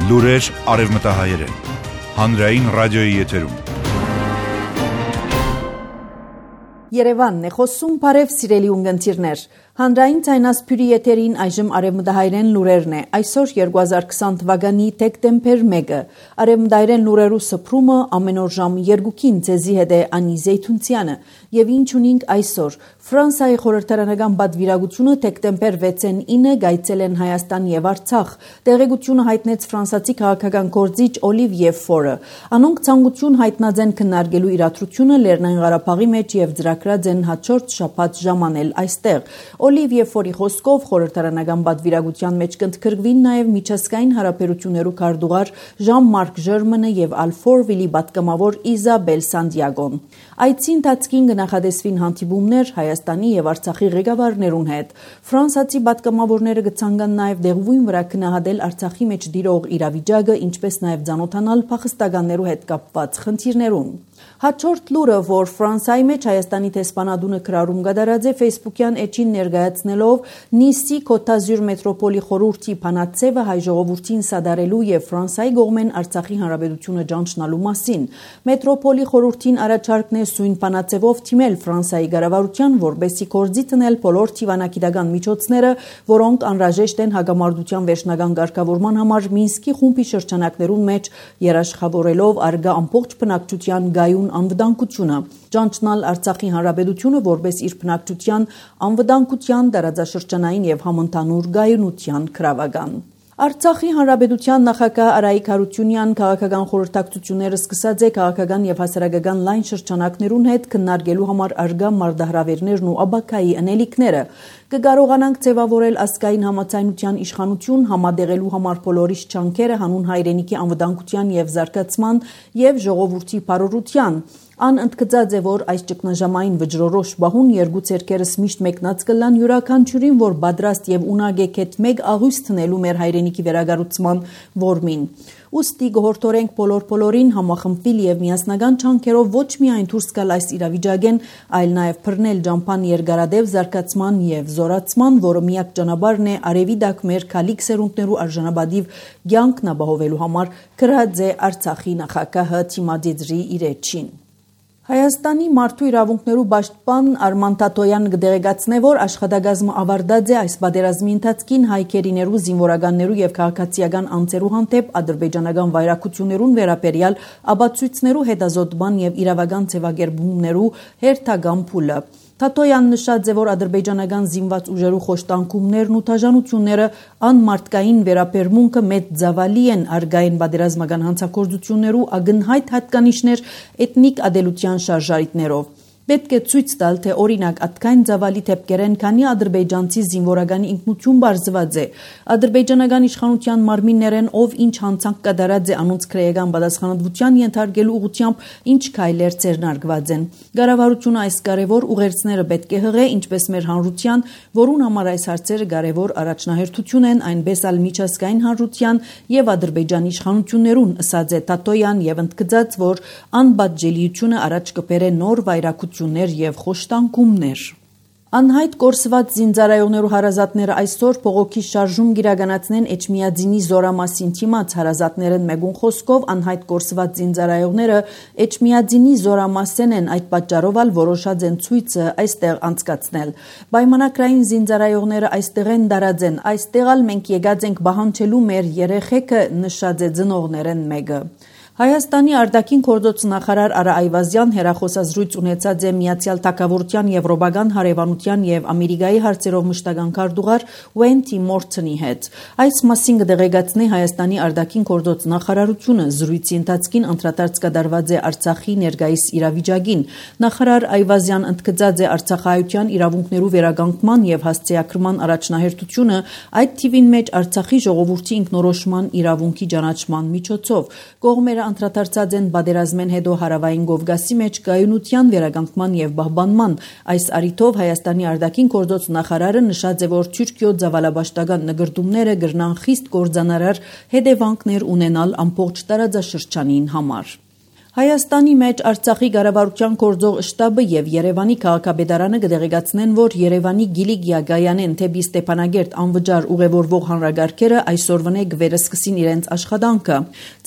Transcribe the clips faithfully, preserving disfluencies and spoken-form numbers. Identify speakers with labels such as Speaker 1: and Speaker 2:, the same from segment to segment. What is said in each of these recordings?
Speaker 1: Լուրեր արևմտահայերեն։ Հանրային ռադիոյի եթերում։
Speaker 2: Երևանն է խոսում, բարև սիրելի ունգընտիրներ։ Հանրային ցայնասփյուրի եթերին այժմ արևմտահայերեն լուրերն է։ Այսօր երկու հազար քսան թվականի դեկտեմբեր մեկը։ Արևմտահայերեն լուրերու սփռումը ամեն օր ժամը երկուին ցեզի հետ է Անի Զեյթունցյանը։ Եվ ինչ ունենք այսօր։ Ֆրանսիայի խորհրդարանական պատվիրակությունը դեկտեմբեր վեցին ինը գայցել են Հայաստան եւ Արցախ։ Տեղեկությունը հայտնեց ֆրանսիացի քաղաքական գործիչ Օլիվիե Ֆորը։ Անոնք ցանկություն հայտնած են քննարկելու իրադրությունը Լեռնային Ղարաբաղի մեջ եւ ծրագրած են հաջորդ շաբաթ ժամանել այստեղ։ Օլիվիե Ֆորի խոսքով խորհրդարանական պատվիրակության մեջ կընդգրկվին նաև միջազգային հարաբերություններու քարտուղար Ժան-Մարկ Ժերմանը եւ Ալֆորվիլի պատգամավոր Իզաբել Սանտիագոն։ Այցի ընթացքին կնախադեсվին հանդիպումներ Հայաստանի եւ Արցախի ղեկավարներուն հետ։ Ֆրանսիացի պատգամավորները կցանկանան նաև դեղույն վրա քննադատել Արցախի մեջ դիրող իրավիճակը, ինչպես նաև ցանոթանալ փախստականներու հետ կապված խնդիրներուն։ Հաջորդ լուրը, որ Ֆրանսիայի մեջ Հայաստանի տեսփանադունը քրարում կատարած է Facebook-յան էջին ներկայացնելով Նիսի Կոտազյուր մետրոպոլի խորհրդի փանացեվը հայ ժողովրդին սադարելու եւ Ֆրանսիայի կողմեն Արցախի հանրապետությունը ճանչնալու մասին։ Մետրոպոլի խորհրդին առաջարկն է սույն փանացեվով թիմել Ֆրանսիայի կառավարության, որբեսի կորձի տնել բոլոր թիվանագիտական միջոցները, որոնք անհրաժեշտ են հագամարտության վերջնական ղեկավարման համար Մինսկի խումբի շրջանակներուն մեջ երաշխավորելով արգա ամբողջ բնակչության գայուն անվտանգությունը։ Ճանչնալ Արցախի հանրապետությունը որպես իր բնակչության անվտանգության, տարածաշրջանային եւ համընդհանուր գայունության քրավական։ Արցախի հանրապետության նախագահ Արայիկ Հարությունյան քաղաքական խորհրդակցությունները սկսած է քաղաքական եւ հասարակական լայն շրջանակներուն հետ քննարկելու համար արգա մարտահրավերներն ու աբակայի անելիքները։ Կկարողանանք ձևավորել ազգային համացայնության իշխանություն համադեղելու համար բոլորիս չանքերը հանուն հայրենիքի անվտանգության եւ զարգացման եւ ժողովրդի բարօրության։ Ան ընդգծած է, որ այս ճգնաժամային վճռորոշ բահուն երկու ցերկերս միշտ մեկնած կլան յուրաքանչյուրին, որ պատրաստ եւ ունակ է կետ մեկ աղույս տնելու մեր հայրենիքի վերագառուցման որմին։ Ուստի գորտորենք բոլոր բոլորին համախմբվել եւ միասնական չանքերով ոչ միայն դուրս գալ այս իրավիճակեն, այլ նաեւ բռնել ջամփան երկարադեպ զարգացման եւ զորացման, որը միակ ճանապարհն է արևի դակ մեր քալիք սերունդներու արժանապատիվ կյանքն ապահովելու համար, գրած է Արցախի նախագահը Թիմադիդրի իր էջին։ Հայաստանի մարդու իրավունքներու պաշտպան Արման Թաթոյանը կդեղեկացնե, որ աշխատակազմը ավարտած է այս պատերազմի ընթացքին հայկերիներու, զինվորականներու եւ քաղաքացիական անձերու հանդեպ ադրբեջանական վայրակություններուն վերաբերյալ ապացույցներու հետազոտման եւ իրավական ձևակերպումներու հերթական փուլը։ Թաթոյան նշած է, որ ադրբեջանական զինված ուժերու խոշտանգումներն ու թաժանությունները անմարտկային վերաբերմունքը մեծ ծավալի են արգային պատերազմական հանցագործություններու ագնհայտ հատկանիշներ էթնիկ ադելության շարժարիտներով։ Պետք է ցույց տալ, թե օրինակ ատկային ծավալի թեփկերեն քանի ադրբեջանցի զինվորականի ինքնություն բարձված է։ Ադրբեջանական իշխանության մարմիններեն ով ինչ հանցանք կատարած է անոնց քրեական պատասխանատվության ենթարկելու ուղղությամբ ինչ քայլեր ձեռնարկված են։ Կառավարությունը այս կարևոր ուղերձները պետք է հղե, ինչպես մեր հանրության, որուն համար այս հարցերը կարևոր առաջնահերթություն են, այնպես ալ միջազգային հանրության եւ Ադրբեջանի իշխանություններուն, ըսած է Թաթոյան եւ ընդգծած, որ անպատժելիությունը առաջ կբերե նոր վայրակություն եւ խոշտանգումներ։ Անհայտ կորսված զինծառայողներու հարազատները այսօր փողոքի շարժում գիրականացնեն Էջմիածինի զորամասին թիմած հարազատներն մեգուն խոսքով անհայտ կորսված զինծառայողները Էջմիածինի զորամասեն են, այդ պատճառով ալ որոշած են ցույցը այստեղ անցկացնել։ Պայմանակրային զինծառայողները այստեղ են դարած են, այստեղ ալ մենք եկած ենք բահանջելու մեր երեխեքը, նշած է ծնողներն մեկը։ Հայաստանի արտաքին գործոց նախարար Արա Այվազյան հերախոսազրույց ունեցած է Միացյալ Թագավորության Եվրոպական հարևանության եւ Ամերիկայի հարցերով մշտական քարտուղար Ուենթի Մորթոնի հետ։ Այս մասին կդեղեկացնի Հայաստանի արտաքին գործոց նախարարությունը զրույցի ընթացքին անդրադարձ կատարված է Արցախի ներկայիս իրավիճակին։ Նախարար Այվազյան ընդգծած է արցախահայության իրավունքներու վերականգնման եւ հասցեակրման առաջնահերթությունը, այդ թիվին մեջ Արցախի ժողովրդի ինքնորոշման իրավունքի ճանաչման միջոցով։ Կողմերը անդրադարձած են պատերազմեն հետո հարավային Կովկասի մեջ կայունության վերականգնման եւ պահպանման։ Այս առիթով Հայաստանի արտաքին գործոց նախարարը նշած է, որ Թուրքիո ցավալաբաշտական նկարտումները կրնան խիստ կործանարար հետևանքներ ունենալ ամբողջ տարածաշրջանին համար։ Հայաստանի մեջ Արցախի ղարավարության գործող շտաբը եւ Երևանի քաղաքապետարանը կդեղեկացնեն, որ Երևանի Գիլիգիա Գայանեն թեպի Ստեփանագերտ անվճար ուղևորվող հանրագարքերը այսօրվա կվերսկսին իրենց աշխատանքը։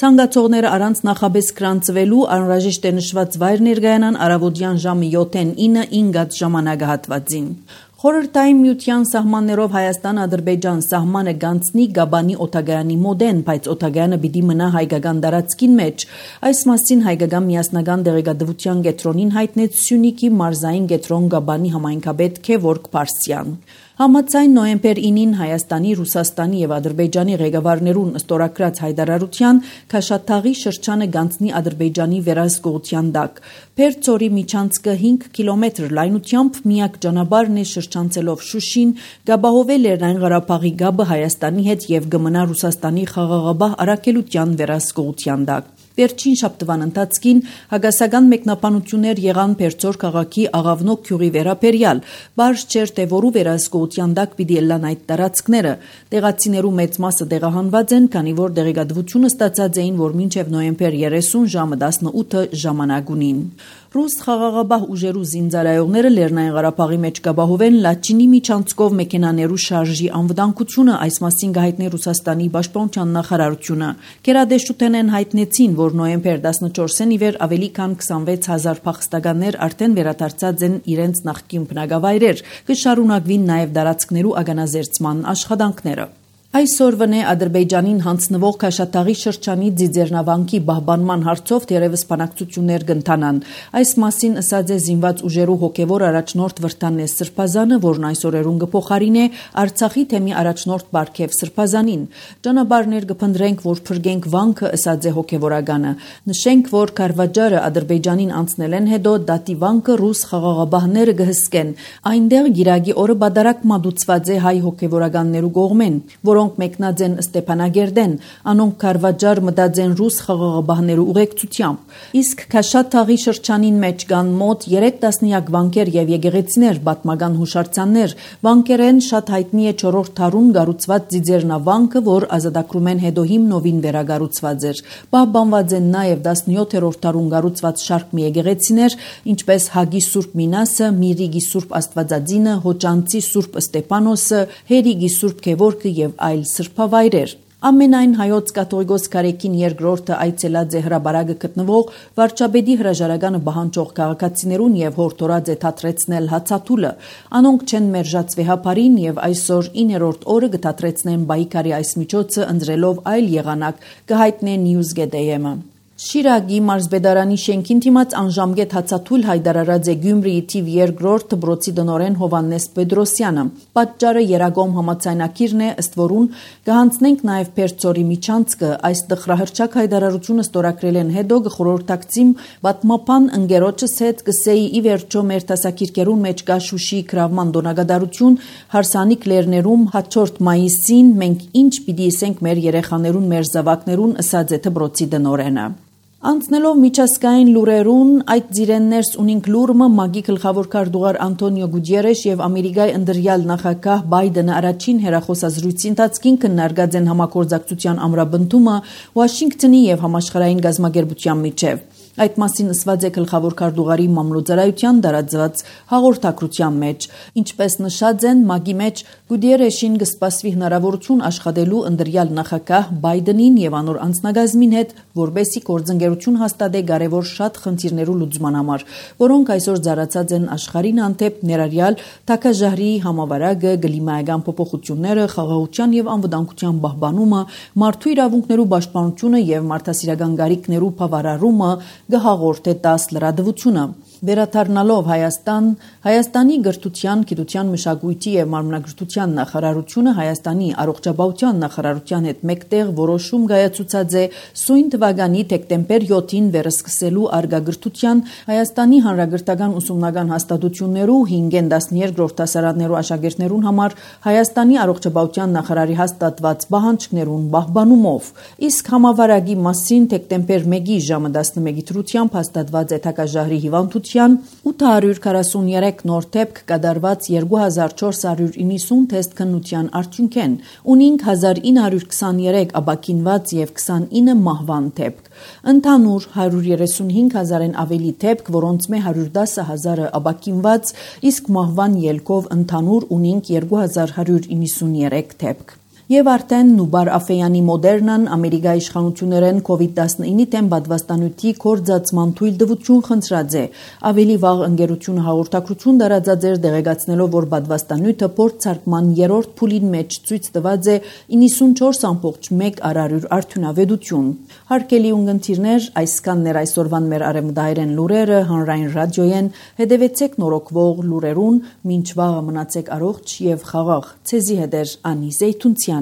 Speaker 2: Ցանկացողները առանց նախաբես գրանցվելու անհրաժեշտ է նշված վայր ներկայանան առավոտյան ժամը յոթին ինը ինգած ժամանակահատվածին։ Խորհրդային միության սահմաններով Հայաստան-Ադրբեջան սահմանը գանցնի Գաբանի օթագայանի մոդեն, բայց օթագայանը պիտի մնա հայկական տարածքին մեջ։ Այս մասին հայկական միասնական դեղեկատվության կենտրոնին հայտնեց Սյունիքի մարզային կենտրոն Գաբանի համայնքապետ Քևորգ Փարսյան։ Համաձայն նոյեմբեր ինին Հայաստանի, Ռուսաստանի եւ Ադրբեջանի ղեկավարներուն ստորագրած հայտարարության Քաշաթաղի շրջանը գանցնի Ադրբեջանի վերահսկողության տակ։ Փերծորի միջանցքը հինգ կիլոմետր լայնությամբ միակ ճանապարհն է շրջանցելով Շուշին, գաբահովել Լեռնային Ղարաբաղի գաբը Հայաստանի հետ եւ գմնա Ռուսաստանի խաղաղաբահ առաքելության վերահսկողության տակ։ Վերջին շաբթվան ընթացքին հագասական մեկնաբանություններ եղան Փերծոր քաղաքի Աղավնոկ գյուղի վերաբերյալ, բարձ չէր թե որու վերահսկողության տակ պիտի ելան այդ տարածքները։ Տեղացիներու մեծ մասը տեղահանված են, քանի որ դեղեկատվությունը ստացած էին, որ մինչև նոյեմբեր երեսուն ժամը տասնութը ժամանակ ունին։ Ռուս խաղաղաբահ ուժերու զինծառայողները Լեռնային Ղարաբաղի մեջ կապահովեն Լաչինի միջանցքով մեքենաներու շարժի անվտանգությունը, այս մասին կհայտնի Ռուսաստանի պաշտպանության նախարարությունը։ Գերադեսչութենեն հայտնեցին, որ նոյեմբեր տասնչորսին ի վեր ավելի քան քսանվեց հազար փախստականներ արդեն վերադարձած են իրենց նախկին բնակավայրեր, կշարունակվին նաև տարածքներու ագանազերծման աշխատանքները։ Այսօրվա Ադրբեջանին հանձնվող Քաշաթաղի շրջանի Ձիձեռնավանքի պահպանման հարցով թերևս բանակցություններ կընթանան։ Այս մասին ասաց է զինված ուժերու հոգևոր առաջնորդ Վրդանես Սրբազանը, որն այս օրերուն կփոխարինե Արցախի թեմի առաջնորդ Բարքև Սրբազանին։ Ճանապարհներ կփնտրենք, որ փրկենք վանքը, ասաց է հոգևորականը։ Նշենք, որ Քարվաճարը Ադրբեջանին անցնել են հետո դատի վանքը ռուս խաղաղաբահները կհսկեն։ Այնտեղ գիրագի օրը բադարակ մատուցված է հայ հոգևորականներու կողմեն, որոնք մեկնած են Ստեփանագերդեն, անոնք Քարվաճար մտած են ռուս խաղաղաբահներու ուղեկցությամբ։ Իսկ Քաշաթաղի շրջանին մեջ կան մոտ երեք տասնյակ վանքեր եւ եկեղեցիներ, պատմական հուշարձաններ։ Վանքերեն շատ հայտնի է չորրորդ դարուն կառուցված Ձիձեռնավանքը, որ ազատագրումեն հետո հիմնովին վերակառուցված էր։ Պահպանված են նաեւ տասնյոթերորդ դարուն կառուցված շարք մի եկեղեցիներ, ինչպես Հագի Սուրբ Մինասը, Միրիգի Սուրբ Աստվածածինը, Հոճանցի Սուրբ Ստեփանոսը, Հերիգի Սուրբ Գևորգը եւ այլ սրբավայրեր։ Ամենայն հայոց կաթողիկոս Կարեկին երկրորդը այցելած է հրաբարակը գտնվող վարչապետի հրաժարականը պահանջող քաղաքացիներուն եւ հորդորած է թատրեցնել հացաթուլը։ Անոնք չեն մերժած վեհապարին եւ այսօր իններորդ օրը կթատրեցնեն Բայկարի այս միջոցը ընտրելով այլ եղանակ, կհայտնե News.am-ը։ Շիրագի մարզպետարանի շենքին դիմաց անժամկետ հացաթուլ հայտարարած է Գյումրիի թիվ երկրորդ դպրոցի տնօրեն Հովհաննես Պետրոսյանը։ Պատճառը Երագոմ համաձայնագիրն է, ըստ որուն կհանձնենք նաև Փերծորի միջանցքը։ Այս տխրահրճակ հայտարարությունը ստորագրել են հետո գխորհրդակցիմ պատմապան ընկերոջս հետ կսեի ի վերջո մեր դասակիրքերուն մեջ կա Շուշի գրավման դոնագադարություն հարսանիք լերներում հաջորդ մայիսին մենք ինչ պիտի ասենք մեր երեխաներուն, մեր զավակներուն, ըսած է դպրոցի տնօրենը։ Անցնելով միջազգային լուրերուն, այդ ձիրեններս ունինք լուրը ՄԱԳ-ի գլխավոր քարտուղար Անտոնիո Գուտիերեշ եւ Ամերիկայի ընդրյալ նախագահ Բայդենը առաջին հեռախոսազրույցի ընթացքին քննարկած են համագործակցության ամրապնդումը Վաշինգտոնի եւ համաշխարհային գազམ་ագերբության միջև։ Այդ մասին ասված է գլխավոր քարտուղարի մամլոյցարայության դարածված հաղորդակցության մեջ։ Ինչպես նշած են ՄԱԳ-ի մեջ Գուտիերեշին կսպասվի հնարավորություն աշխատելու ընդրյալ նախագահ Բայդենին եւ անոր անձնագազմին հետ, որբեսի գործընկերություն հաստատե կարևոր շատ խնդիրներու լուծման համար, որոնք այսօր ծառացած են աշխարհին հանդեպ, ներառյալ թագաժահրի համավարակը, կլիմայական փոփոխությունները, խաղաղության եւ անվտանգության պահպանումը, մարդու իրավունքներու պաշտպանությունը եւ մարդասիրական գարիքներու բավարարումը գհաղորդ է տաս լրատվությունը։ Վերադառնալով Հայաստան, Հայաստանի գրթության, գիտության, մշակույթի եւ մարմնագրթության նախարարությունը Հայաստանի առողջապահության նախարարության հետ մեկտեղ որոշում կայացուցած է սույն թվականի դեկտեմբեր յոթին վերսկսելու արգագրթության Հայաստանի հանրագրթական ուսումնական հաստատություններու հինգեն տասներկրորդ դասարաններու աշակերտներուն համար Հայաստանի առողջապահության նախարարի հաստատված պահանջներուն պահպանումով։ Իսկ համավարակի մասին դեկտեմբեր մեկի ժամը տասնմեկի դրությամբ հաստատված է թագաժահրի հիվանդության կայունության, ութ հարյուր քառասուններեք նոր դեպք կատարված երկու հազար չորս հարյուր իննսուն թեստ քննության արդյունքեն, ունինք հազար ինը հարյուր քսաներեք ապաքինված եւ քսանինը մահվան դեպք։ Ընդհանուր հարյուր երեսունհինգ հազարեն ավելի դեպք, որոնց մե հարյուր դասը հազարը ապաքինված, իսկ մահվան ելքով ընդհանուր ունինք երկու հազար հարյուր իննսուներեք դեպք։ Եվ արդեն Նուբար Աֆեյանի Մոդերնան Ամերիկայի իշխանություններեն կովիդ տասնինը դեմ պատվաստանյութի կորձացման թույլտվություն խնդրած է։ Ավելի վաղ ընկերությունը հաղորդակցություն տարածած էր դեղեկացնելով, որ պատվաստանյութը փորձարկման երրորդ փուլին մեջ ցույց տված է իննսունչորս ամբողջ մեկ արարյուր արդյունավետություն։ Հարգելի ունգընտիրներ, այսքանն էր այսօրվան մեր արևմտահայերեն լուրերը հանրային ռադիոյեն, հետևեցեք նորոգվող լուրերուն, մինչ վաղը մնացեք առողջ եւ խաղաղ։ Ցեզի հետ է Անի Զեյթունցյանը։